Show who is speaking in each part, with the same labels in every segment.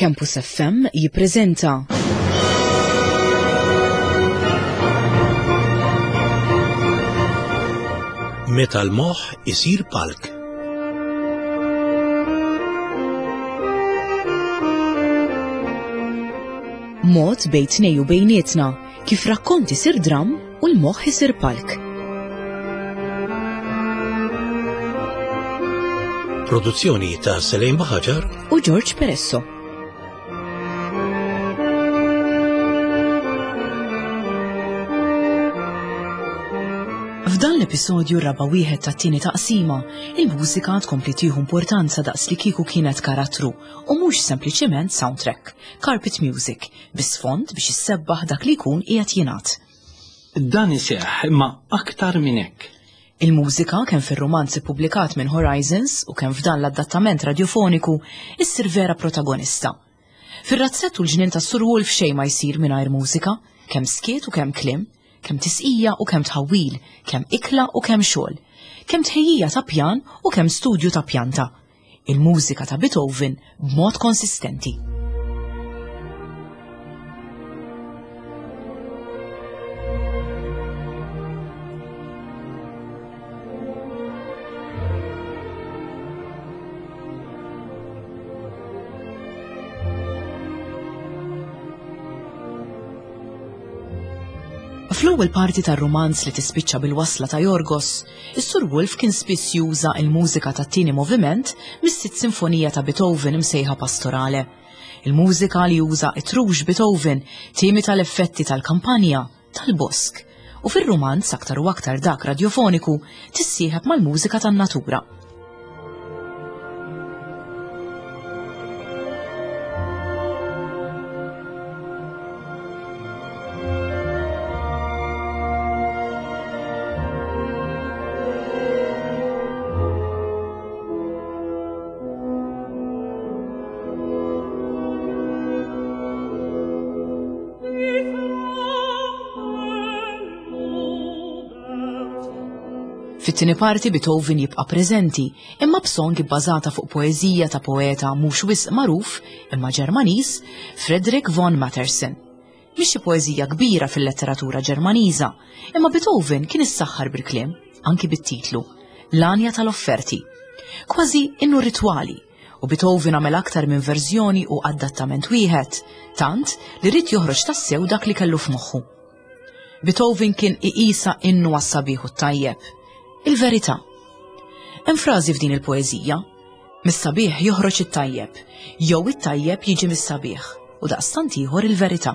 Speaker 1: Campus FM jippreżenta
Speaker 2: Meta l-moħħ isir palk.
Speaker 1: Mod bejn tnej u bejnietna kif rakkont isir dramm u l-moħħ isir palk.
Speaker 2: Produzzjoni ta' Selejn Baħaġar
Speaker 1: u George Peresso. F'dan l-episodju raba' wieħed tat-tieni taqsima, il-mużika tkompli tieħu importanza daqs li kieku kienet karattru u mhux sempliċement soundtrack, carpet music, bi sfond biex issebbaħ dak li jkun qiegħed jingħad.
Speaker 3: Dan iseħħ imma aktar minn hekk.
Speaker 1: Il-mużika, kemm fir-rumanz ippubblikat minn Horizons u kemm f'dan l-adattament radjofoniku, issir vera protagonista. Fir-razzett u l-ġnien tas-Sur Wolf xejn ma jsir mingħajr mużika, kemm skiet u kemm kliem, kemm tisqija u kemm tħawwil, kemm ikla u kemm xogħol, kemm tħejjija ta' pjan u kemm studju ta' pjanta. Il-mużika ta' Beethoven b'mod konsistenti. Fl-ewwel parti tar-rumanz li tispiċċa bil-wasla ta' Jorgos, is-Sur Wolf kien spiss juża l-mużika tat-tieni moviment mis-sitt sinfonija ta' Beethoven imsejħa Pastorale. Il-mużika li juża it-trux Beethoven timita l-effetti tal-kampanja, tal-bosk, u fir-rumanz aktar u aktar dak radjofoniku tissieħeb mal-mużika tan-natura. Fit-tieni parti Beethoven jibqa' preżenti, imma b'song ibbażata fuq poeżija ta' poeta mhux wisq magħruf imma Ġermaniż, Friedrich von Matterson. Mhix xi poeżija kbira fil-letteratura Ġermaniża, imma Beethoven kien issaħħar bil-kliem, anki bit-titlu, L-Għanja tal-Offerti. Kważi innu ritwali, u Beethoven għamel aktar minn verżjoni u adattament wieħed, tant li ried joħroġ tassew dak li kellu f'moħħu. Beethoven kien iqisha innu għas-sabiħ u t-tajjeb. Il-verità. Hemm frażi f'din il-poeżija. Mis-sabiħ joħroġ it-tajjeb, jew it-tajjeb jiġi mis-sabiħ, u daqstant ieħor il-verità.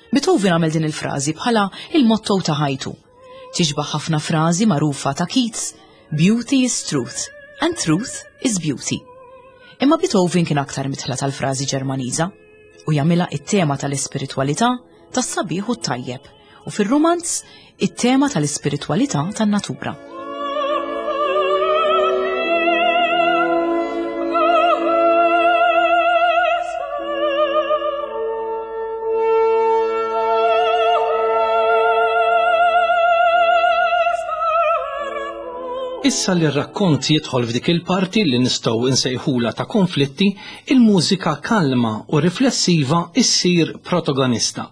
Speaker 1: Beethoven għamel din il-frażi bħala il-motto ta' ħajtu. Tixbaħ ħafna frażi magħrufa ta' Keats, Beauty is truth, and truth is beauty. Imma Beethoven kien aktar mitħla tal-frażi Ġermaniża u jagħmilha it-tema tal-ispiritwalità, tas-sabiħ u t-tajjeb, u fir-rumanz it-tema tal-ispiritwalità tan-natura.
Speaker 3: Issa li r-rakkont jidħol f'dik il-parti li nistgħu nsejħula ta' konflitti, il-mużika kalma u riflessiva issir protagonista.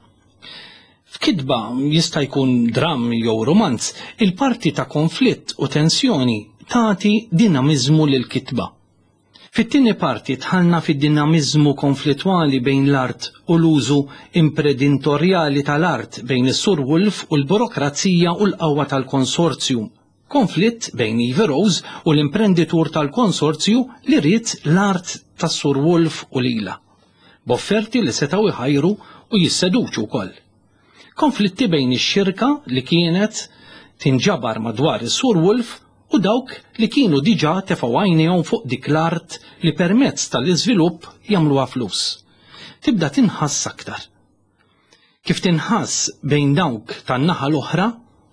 Speaker 3: F'kitba, jista' jkun dramm jew rumanz, il-parti ta' konflitt u tensjoni tagħti dinamiżmu lill-kitba. Fit-tieni parti dħalna fid-dinamiżmu konflittwali bejn l-art u l-użu impredintorjali tal-art bejn is-Sur Wolf u l-burokrazija u l-qawwa tal-konsorzju. Konflitt bejn Ivy Rose u l-imprenditur tal-konsorzju li ried l-art tas-Sur Wolf u lilha. B'offerti li setgħu jħajru u jisseduċu wkoll. Konflitti bejn ix-xirka li kienet tinġabar madwar is-Sur Wolf u dawk li kienu diġà tefgħu għajnejhom fuq dik l-art li permezz tal-iżvilupp jagħmluha flus. Tibda tinħass aktar. Kif tinħass bejn dawk tan-naħa l-oħra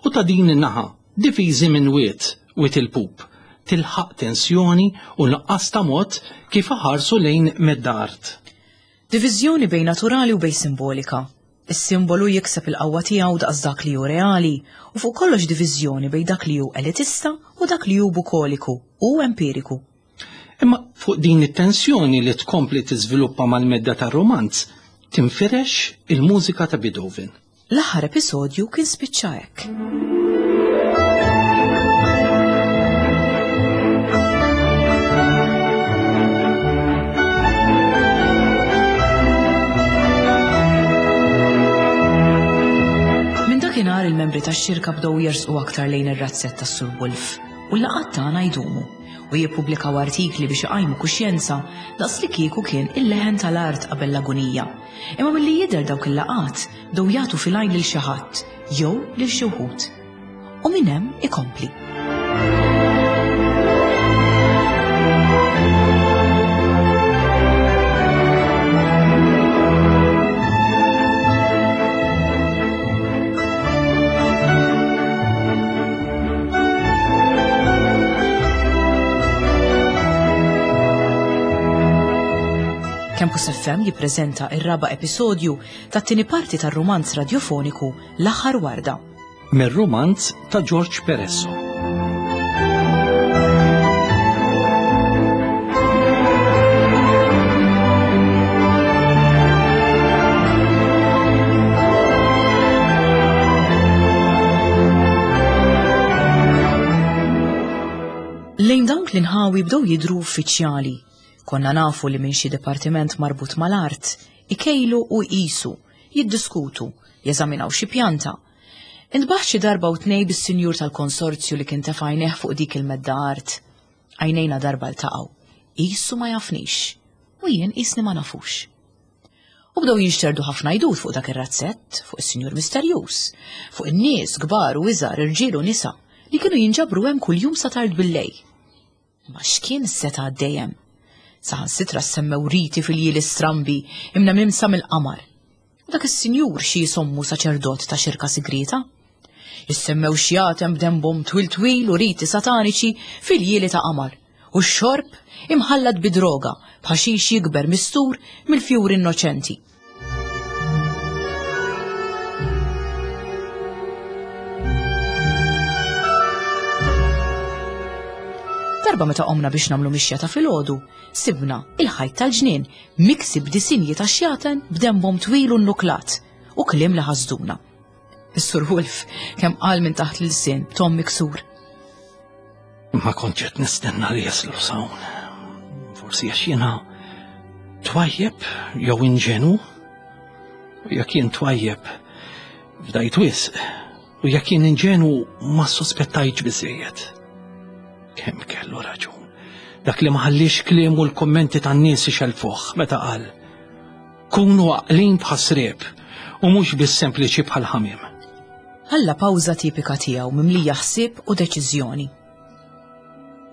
Speaker 3: u ta' din in-naħa, difiżi minn wied, Wied il-Pup, tilħaq tensjoni u nuqqas ta' mod kif iħarsu lejn medda art.
Speaker 1: Diviżjoni bejn naturali u bejn simbolika. Is-simbolu jikseb il-qawwa tiegħu daqs dak li hu reali u fuq kollox diviżjoni bejn dak li hu elitista u dak li hu bukoliku u empiriku.
Speaker 3: Imma fuq din it-tensjoni li tkompli tiżviluppa mal-medda tar-rumanz, tinfirex il-mużika ta' Beethoven.
Speaker 1: L-aħħar episodju kien spiċċa hekk. Minn dakinhar il-membri tax-xirka bdew jersqu aktar lejn ir-razzett tas-Sur Wolf u l-laqgħat tagħna jdumu u jippubblikaw artikli biex iqajmu kuxjenza daqs li kieku kien il-leħen tal-art qabel l-agunija. Imma milli jidher dawk il-laqgħat bdew jagħtu fil-għajn lil xi ħadd jew lil xi wħud. U minn hemm ikompli. Campus FM jippreżenta ir-raba' episodju tat-tieni parti tar-rumanz radjofoniku L-Aħħar Warda.
Speaker 3: Mir-rumanz ta' George Peresso.
Speaker 1: Lejn dawk l-inħawi bdew jidhru uffiċjali Konna nafu li minn xi dipartiment marbut mal-art, ikejlu u jqisu, jiddiskutu, jeżaminaw xi pjanta. Intbaħt xi darba u tnej bis-sinjur tal-konsorzju li kien tefa' għajnejh fuq dik il-medda art. Għajnejna darba ltaqgħu. Qisu ma jafnix. U jien qisni ma nafux. U bdew jinxterdu ħafna għidut fuq dak ir-razzett, fuq is-sinjur misterjuż, fuq in-nies kbar u iżgħar, irġiel u nisa, li kienu jinġabru hemm kuljum sa tard billejl. Imma x'kien seta' għaddej hemm? Saħansitra ssemmew riti fil-ljieli strambi imnemimsa mill-qamar. U dak is-sinjur xi jisommu saċerdot ta' xirka sigrieta? Issemmew xjaten b'dembhom twil twil u riti sataniċi fil-ljieli ta' qamar, u x-xorb imħallat bi droga b'ħaxix jikber mistur mill-fjuri innoċenti. Darba meta qomna biex nagħmlu mixja ta' filgħodu, sibna il-ħajt tal-ġnien miksi b'disinji ta' xjaten b'dembhom twil u nnuklat u kliem li ħasduna. Is-Sur Wolf kemm qal minn taħt l-ilsien b'ton miksur.
Speaker 3: Ma kontx qed nistenna li jaslu s'hawn. Forsi għax jiena twajjeb jew inġenu. U jekk jien twajjeb fdajt wisq u jekk jien inġenu ma sospettajtx biżejjed. Kemm kellu raġun. Dak li ma ħallix kliem u l-kummenti tan-nies ixelfuh meta qal Kunu għaqlin bħas-sriep u mhux biss sempliċi bħal ħamiem.
Speaker 1: Ħalla pawża tipika tiegħu mimlija ħsieb u deċiżjoni.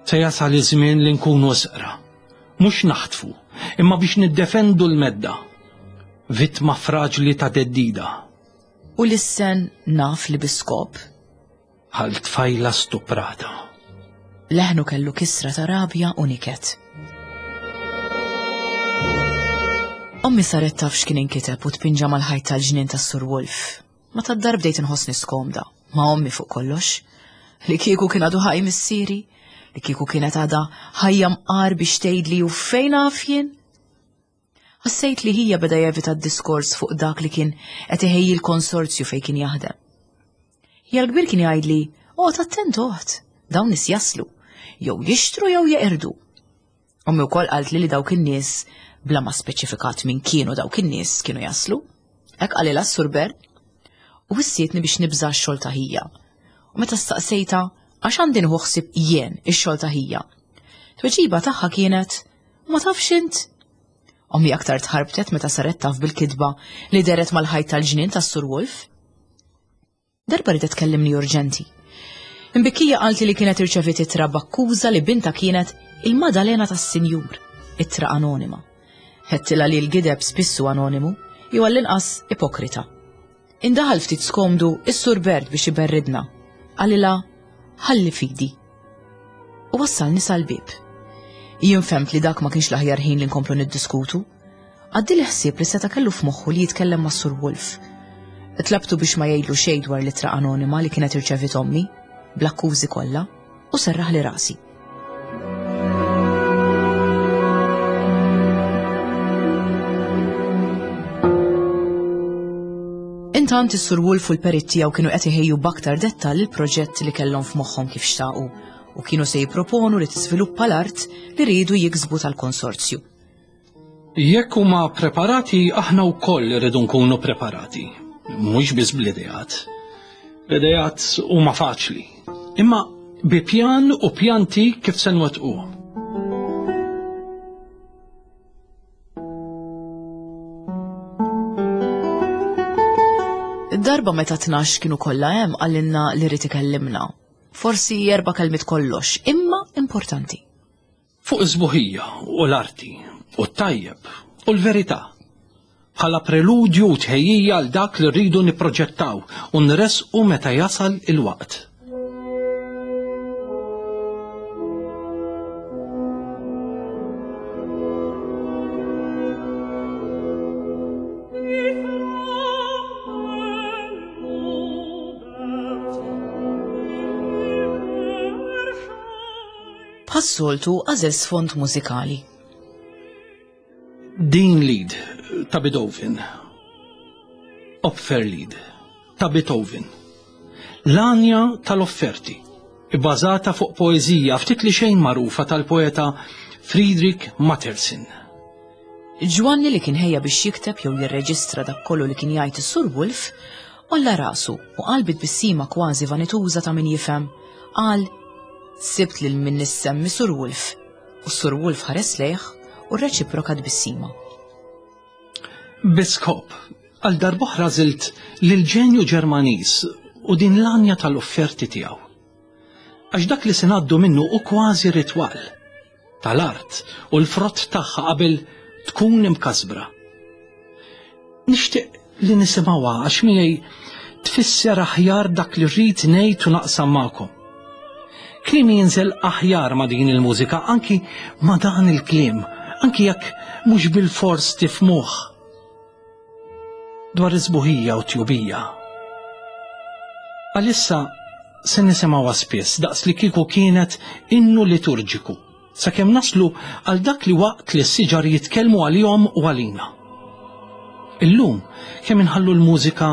Speaker 3: Se jasal iż-żmien li nkunu sqra. Mhux naħtfu, imma biex niddefendu l-medda. Vittma fraġli ta' theddida.
Speaker 1: U lissen naf li bi skop.
Speaker 3: Bħal tfajla stuprata.
Speaker 1: Leħnu kellu kisra ta' rabja u niket. Ommi saret taf x'kien inkiteb u tpinġa mal-ħajt tal-ġnien tas-Sur Wolf. Ma tad-dar bdejt inħossni skomda, ma' ommi fuq kollox. Li kieku kien għadu ħaj missieri, li kieku kienet għadha ħajja mqar biex tgħidli u fejn naf jien. Ħassejt li ħija beda jevita d-diskors fuq dak li kien qed iħejji l-konsorzju fejn kien jaħdem. Ħija l-kbir kien jgħidli, "Oqgħod attent oħt, dawn nies jaslu, jew jixtru jew jeqirdu." Ommi wkoll qaltli li dawk in-nies bla ma speċifikat min kienu dawk in-nies kienu jaslu. Hekk qalilha s-Sur Bern. U wissietni biex nibża' x-xogħol ta' ħija. U meta staqsejtha għax għandi nieħu ħsieb jien ix-xogħol ta' ħija. Tweġiba tagħha kienet, Ma tafx int? Ommi aktar tħarbtet meta saret taf bil-kitba li deret mal-ħajt tal-ġnien tas-Sur Wolf. Darba ridet tkellimni urġenti. Imbikkija qalti li kienet irċeviet ittra b'akkuża li binta kienet il-Madalena tas-Sinjur, ittra anonima. Ħedtilha li l-gideb spissu anonimu, jew għall-inqas ipokrita. Indaħal ftit skomdu is-Sur Bert biex iberridna. Qalilha, ħalli fidi. U wassalni sal-bieb. Jien fhemt li dak ma kienx l-aħjar ħin li nkomplu niddiskutu. Għaddieli ħsieb li seta' kellu f'moħħu li jitkellem mas-Sur Wolf. Tlabtu biex ma jgħidlu xejn dwar l-ittra anonima li kienet irċeviet ommi, bl-akkużi kollha, u serraħli rasi. Intant is-Sur Wolf u l-perit tiegħu kienu qed iħejju b'aktar dettall il-proġett li kellhom f'moħħhom kif xtaqu u kienu se jipproponu li tiżviluppa l-art li riedu jiksbu tal-konsorzju.
Speaker 3: Jekk huma preparati, aħna wkoll irridu nkunu preparati. Mhux biss bl-ideat. L-ideat huma faċli. Imma bi pjan u pjanti kif se nwettquhom.
Speaker 1: Darba meta 12 kienu kollha hemm qalilna li rid ikellimna. Forsi erba' kelmiet kollox, imma importanti.
Speaker 3: Fuq is-sbuħija u l-arti u t-tajjeb u l-verità. Bħala preludju u tħejjija għal dak li rridu nipproġettaw u nressqu meta jasal il-waqt.
Speaker 1: Bħas-soltu għażel sfond mużikali.
Speaker 3: Din Lied ta' Beethoven. Opferlied ta' Beethoven. L-għanja tal-offerti, ibbażata fuq poeżija ftit li xejn magħrufa tal-poeta Friedrich Matterson.
Speaker 1: Ġwanni li kien ħejja biex jikteb jew jirreġistra dak kollu li kien jgħid is-Sur Wolf, għolla rasu u qal bi tbissima kważi vanituża ta' min jifhem, qal, Sibt lil min nissemmi Sur Wolf. U s-Sur Wolf ħares lejh u rreċiproka tbissima.
Speaker 3: Bi skop, għal darb'oħra għażilt lill-ġenju Ġermaniż u din l-għanja tal-offerti tiegħu. Għax dak li se ngħaddu minnu hu kważi ritwal tal-art u l-frott tagħha qabel tkun imkasbra. Nixtieq li nisimgħuha għax miegħi tfisser aħjar dak li rrid ngħid u naqsam magħkom. Kliemi jinżel aħjar ma' din il-mużika, anki ma' dan il-kliem, anki jekk mhux bilfors tifhmuh. Dwar is-sbuħija u t-tjubija. Għalissa se nisimgħuha spiss daqs li kieku kienet innu liturġiku sakemm naslu għal dak li waqt li s-siġar jitkellmu għalihom u għalina. Illum kemm inħallu l-mużika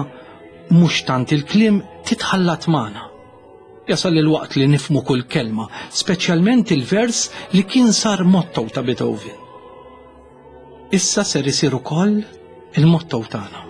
Speaker 3: mhux tant il-kliem titħallat magħna. Jasal il-waqt li nifhmu kull kelma, speċjalment il-vers li kien sar motto ta' Beethoven. Issa ser isir ukoll il-motto tagħna.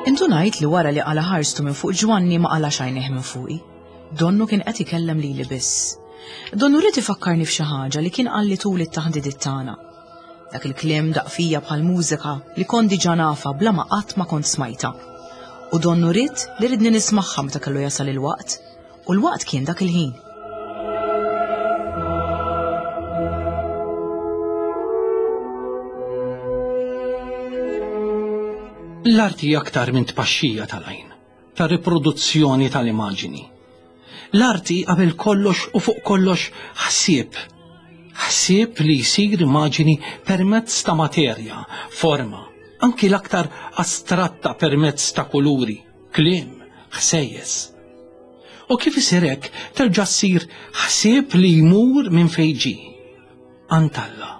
Speaker 1: Indunajt li wara li qala ħarstu minn fuq Ġwanni ma qalax għajnejh minn fuqi. Donnu kien qed ikellem lili biss. Donnu ried ifakkarni f'xi ħaġa li kien qalli tul it-taħdidiet tagħna. Dak il-kliem daqq fija bħal mużika li kont diġà nafha bla ma qatt ma kont smajtha. U donnu ried li ridni nismagħha meta kellu jasal il-waqt, u l-waqt kien dak il-ħin.
Speaker 3: L-arti hija aktar minn tpaxxija tal-għajn, ta' riproduzzjoni tal-immaġini. L-arti qabel kollox u fuq kollox ħsieb. Ħsieb li jsir immaġini permezz ta' materja, forma, anki l-aktar astratta permezz ta' kuluri, kliem, ħsejjes. U kif isir hekk terġa' ssir ħsieb li jmur minn fejn ġie, għand Alla.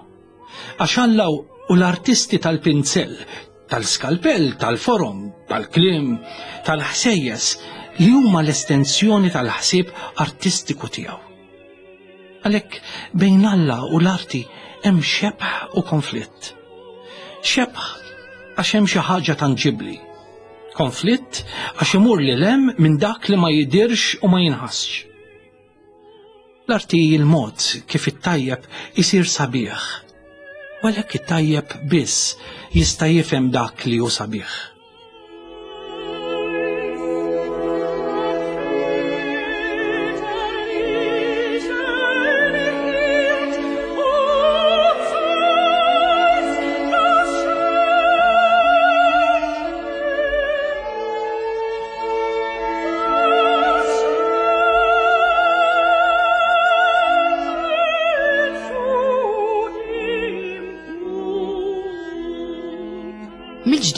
Speaker 3: Għax Alla u l-artisti tal-pinzell, tal-skalpell, tal-forom, tal-kliem, tal-ħsejjes li huma l-estensjoni tal-ħsieb artistiku tiegħu. Għalhekk bejn Alla u l-arti hemm xebh u konflitt. Xebh għax hemm xi ħaġa tanġibbli. Konflitt għax imur lil hemm minn dak li ma jidhirx u ma jinħassx. L-arti hi l-mod kif it-tajjeb isir sabiħ. U għalhekk it-tajjeb biss jista' jifhem dak li hu sabiħ.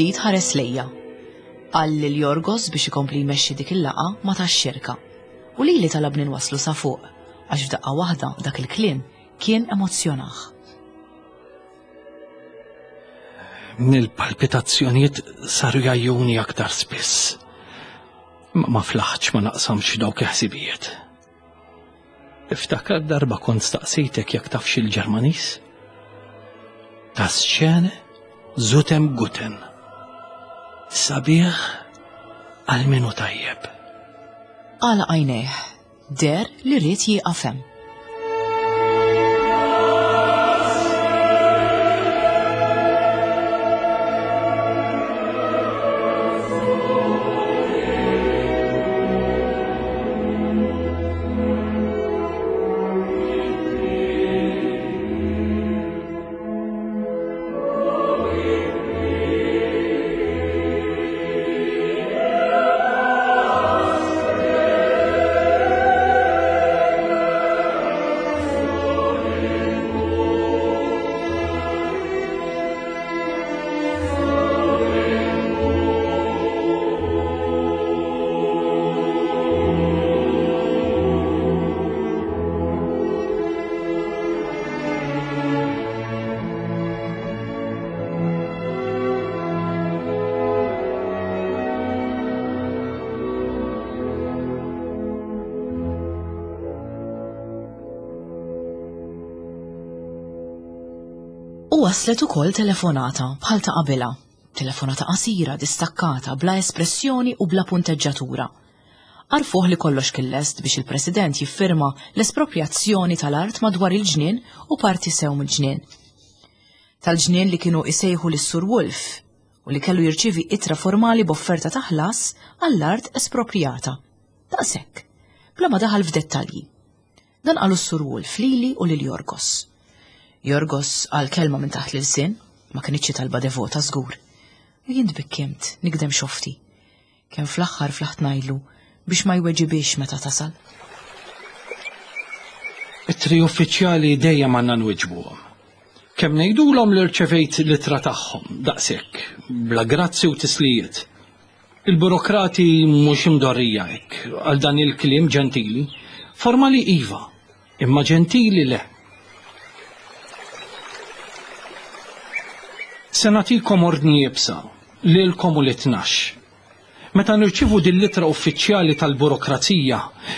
Speaker 1: Mill-ġdid ħares lejja. Qal lil Jorgos biex ikompli jmexxi dik il-laqgħa ma' tax-xirka. U lili talabni nwasslu sa fuq, għax f'daqqa waħda dak il-kliem kien emozzjonah.
Speaker 3: Il-palpitazzjonijiet saru jgħajjuni aktar spiss. Ma ma flaħtx ma naqsamx dawk il-ħsibijiet. Iftakar darba kont staqsejtek jekk tafx il-Ġermaniż? Das Schöne zutem Guten. Sabiħ għal minu tajjeb.
Speaker 1: Għala għajnejh, der li ried jieqaf hemm. U waslet ukoll telefonata bħal ta' qabilha. Telefonata qasira, distakkata, bla espressjoni u bla punteġġatura. Għarfuh li kollox kien lest biex il-President jiffirma l-esproprjazzjoni tal-art madwar il-ġnien u parti sew mill-ġnien. Tal-ġnien li kienu isejħu lis-Sur Wolf u li kellu jirċievi ittra formali b'offerta ta' ħlas għall-art esproprjata. Daqshekk, bla ma daħal f'dettalji. Dan qalu s-Sur Wolf lili u lil Jorgos. Jorgos qal kelma minn taħt l-ilsien, ma kinitx talba devota żgur. U jien tbikkimt, nikdem xofti. Kemm fl-aħħar flaħt ngħidlu biex ma jweġibix meta tasal.
Speaker 3: Ittri uffiċjali dejjem għandna nwiġbuhom. Kemm ngħidulhom li rċevejt l-ittra tagħhom, daqshekk, bla grazzi u tislijiet. Il-burokrati mhux imdorrija hekk għal dan il-kliem ġentili. Formali iva, imma ġentili le. Se nagħtikom ordni iebsa, lilkom u lit-tnax. Meta nirċievu din l-ittra uffiċjali tal-burokrazija,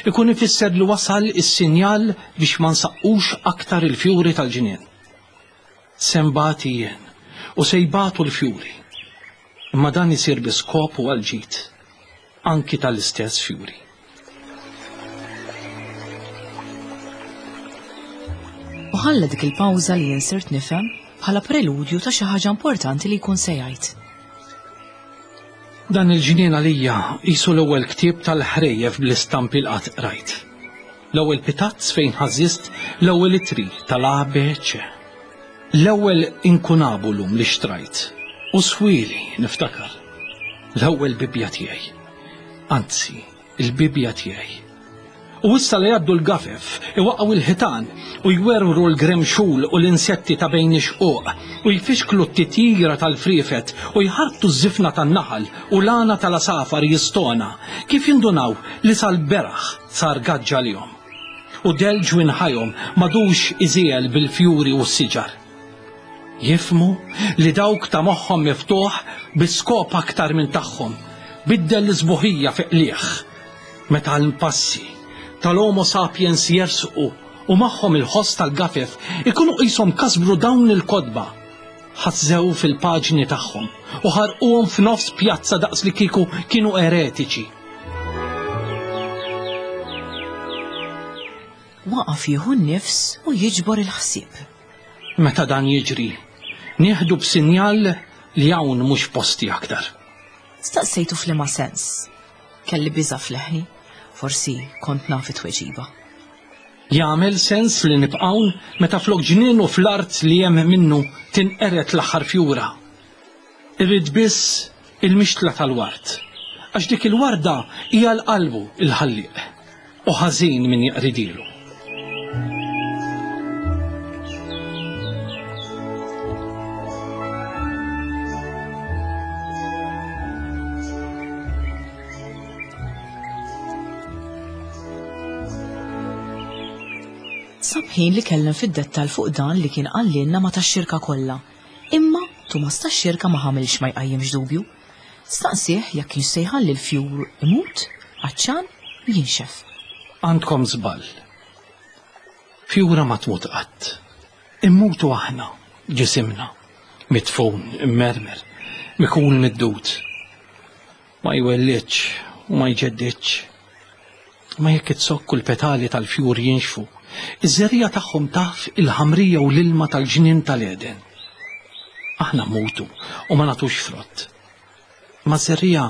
Speaker 3: ikun ifisser li wasal is-sinjal biex ma nsaqqux aktar il-fjuri tal-ġnien. Se nbati jien u se jbatu l-fjuri. Imma dan isir bi skop u għall-ġid, anki tal-istess fjuri.
Speaker 1: U ħalla dik il-pawża li jien sirt nifhem bħala preludju ta' xi ħaġa importanti li jkun se jgħid.
Speaker 3: Dan il-ġnien għalija qisu l-ewwel ktieb tal-ħrejjef bl-istampi li qatt qrajt. L-ewwel pitazz fejn ħażżist l-ewwel ittri tal-ABC. L-ewwel inkunabulum li xtrajt u swieli niftakar. L-ewwel Bibbja tiegħi. Anzi, il-Bibbja tiegħi. U issa li jgħaddu l-gafef, iwaqqgħu l-ħitan u jwerwru l-gremxul u l-insetti ta' bejn ix-xquq u jfixklu t-titjira tal-friefet u jħarbtu ż-żifna tan-naħal u l-għana tal-għasafar jistona, kif jindunaw li sal-beraħ sar gaġġ għalihom. U dell ġwinħajhom m'għadux iżiegħel bil-fjuri u s-siġar. Jifhmu li dawk ta' moħħhom miftuħ bi skop aktar minn tagħhom, biddel l-isbuħija fi qligħ. Meta l-passi tal-Homo sapiens jersqu u magħhom il-ħoss tal-gafef ikunu qishom kasbru dawn il-kotba, ħażżew fil-paġni tagħhom u ħarquhom f'nofs pjazza daqs li kieku kienu eretiċi.
Speaker 1: Waqaf jieħu n-nifs u jiġbor il-ħsieb.
Speaker 3: Meta dan jiġri, nieħdu b'sinjal li hawn mhux posti aktar.
Speaker 1: Staqsejtu f'liema sens. Kelli biża' f'leħni, forsi kont naf it-tweġiba.
Speaker 3: Jagħmel sens li nibqa' hawn meta flok ġnien u fl-art li hemm minnu tinqered l-aħħar fjura? Irrid biss il-mixtla tal-ward, għax dik il-warda hi għal qalbu l-Ħallieq, u ħażin min jeqridilu.
Speaker 1: Sab ħin li kellem fid-dettal fuq dan li kien qalilna ma tax-xirka kollha. Imma Tumas tax-xirka ma ħamilx ma jqajjimx dubju. Staqsieh jekk kienx se jħalli l-fjur imut, għatxan, jinxef.
Speaker 3: Għandkom żball. Fjura ma tmut qatt. Immutu aħna, ġisimna, midfun, immermer, mikul mid-dud. Ma jwellidx u ma jġeddidx. Ma jekk iz-zokk u l-petali tal-fjur jinxfu, iż-żerriegħa tagħhom taf il-ħamrija u l-ilma tal-ġnien tal-Għeden. Aħna mmutu u ma nagħtux frott. Ma ż-żerriegħa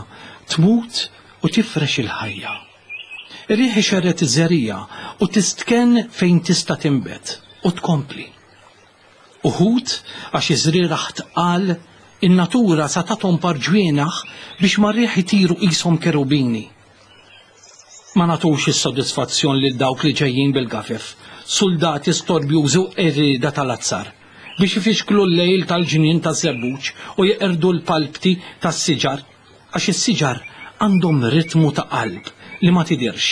Speaker 3: tmut u tifrex il-ħajja. Ir-riħ ixerred iż-żerriegħa u tistkenn fejn tista' tinbet u tkompli. Uħud, għax iż-żrieragħ tqal, in-natura sa tathom par ġwienaħ biex mar-riħ itiru qishom kerubini. Ma nagħtux is-sodisfazzjon lil dawk li ġejjin bil-gafef, suldati storbjużi u qerrieda tal-azzar, biex ifixklu l-lejl tal-ġnien taż-żebbuġ u jeqirdu l-palpti tas-siġar, għax is-siġar għandhom ritmu ta' qalb li ma tidhirx,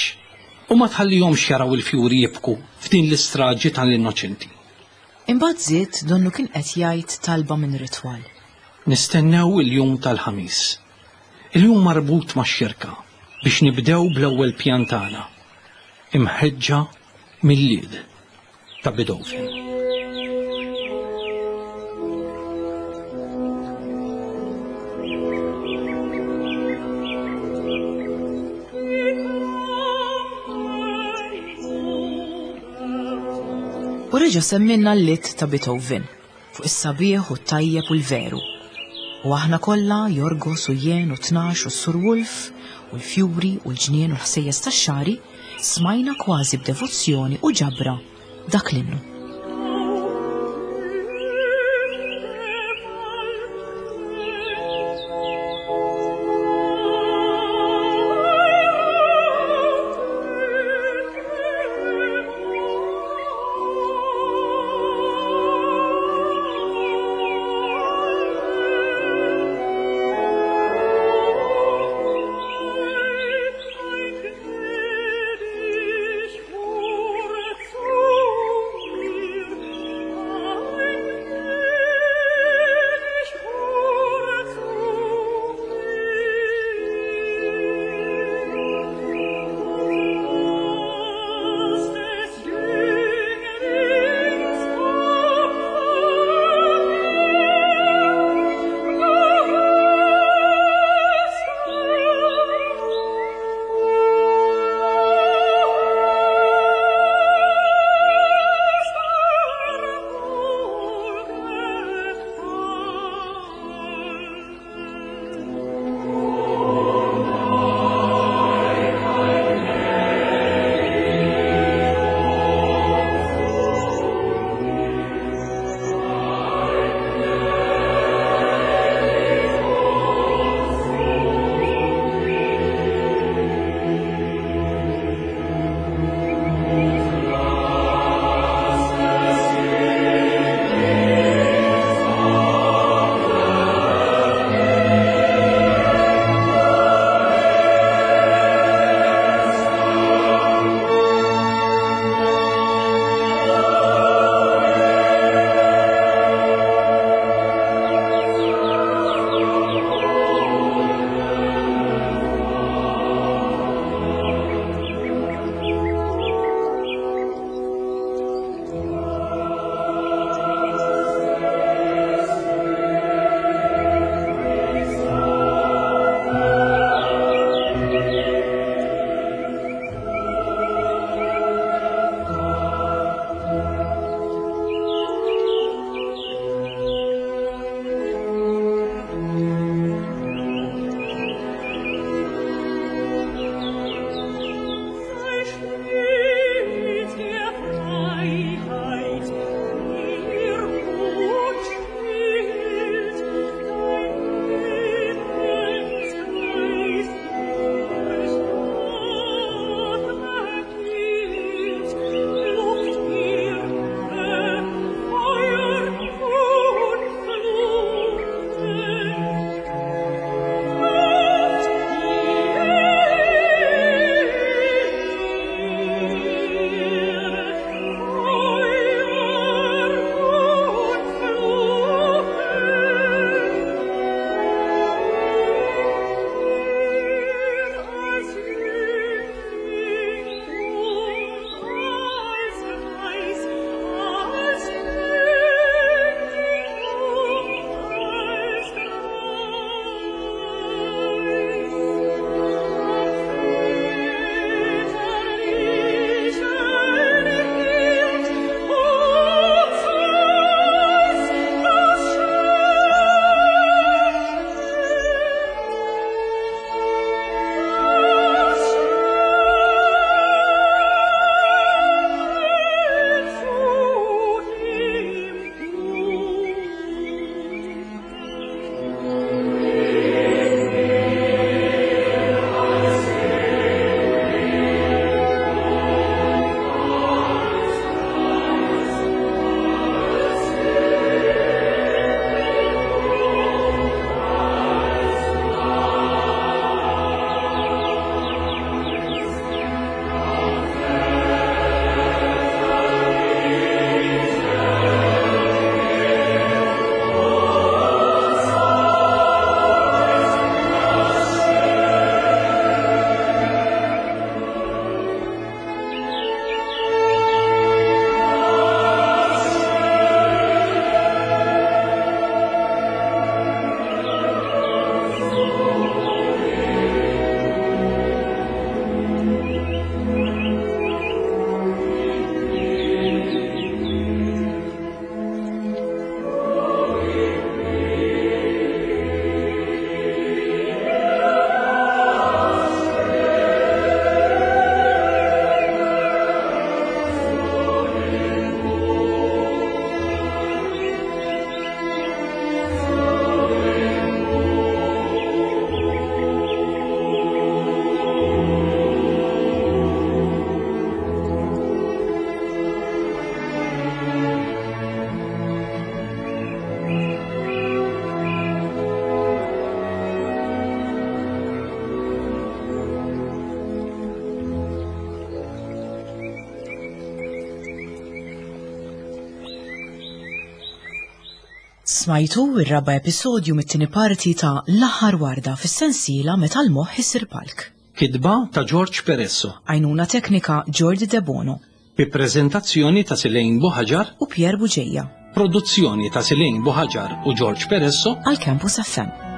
Speaker 3: u ma tħallihomx jaraw il-fjuri jibku f'din l-istraġi tal-innoċenti.
Speaker 1: Imbagħad żied donnu kien qed jgħid talba minn ritwal.
Speaker 3: Nistennew il-jum tal-Ħamis. Il-jum marbut max-xirka biex nibdew bl-ewwel pjan tagħna, imħeġġa mill-Lied ta' Beethoven.
Speaker 1: U reġa' semmilna l-Lied ta' Beethoven. Fuq is-sabiħ u t-tajjeb u l-veru. U aħna kollha, Jorgos u jien u Tnax u s-Sur Wolf u l-fjuri u l-ġnien u l-ħsejjes tax-xagħri, smajna kważi b'devozzjoni u ġabra dak l-innu. Smajtu ir-raba' episodju mit-tieni parti ta' L-aħħar warda fis-sensiela Meta l-moħħ isir palk.
Speaker 3: Kitba ta' George Peresso.
Speaker 1: Għajnuna teknika Jordi Debono.
Speaker 3: Bi preżentazzjoni ta' Silejn Buħaġar
Speaker 1: u Pierre Buġeja.
Speaker 3: Produzzjoni ta' Silejn Buħaġar u George Peresso
Speaker 1: għal Campus FM.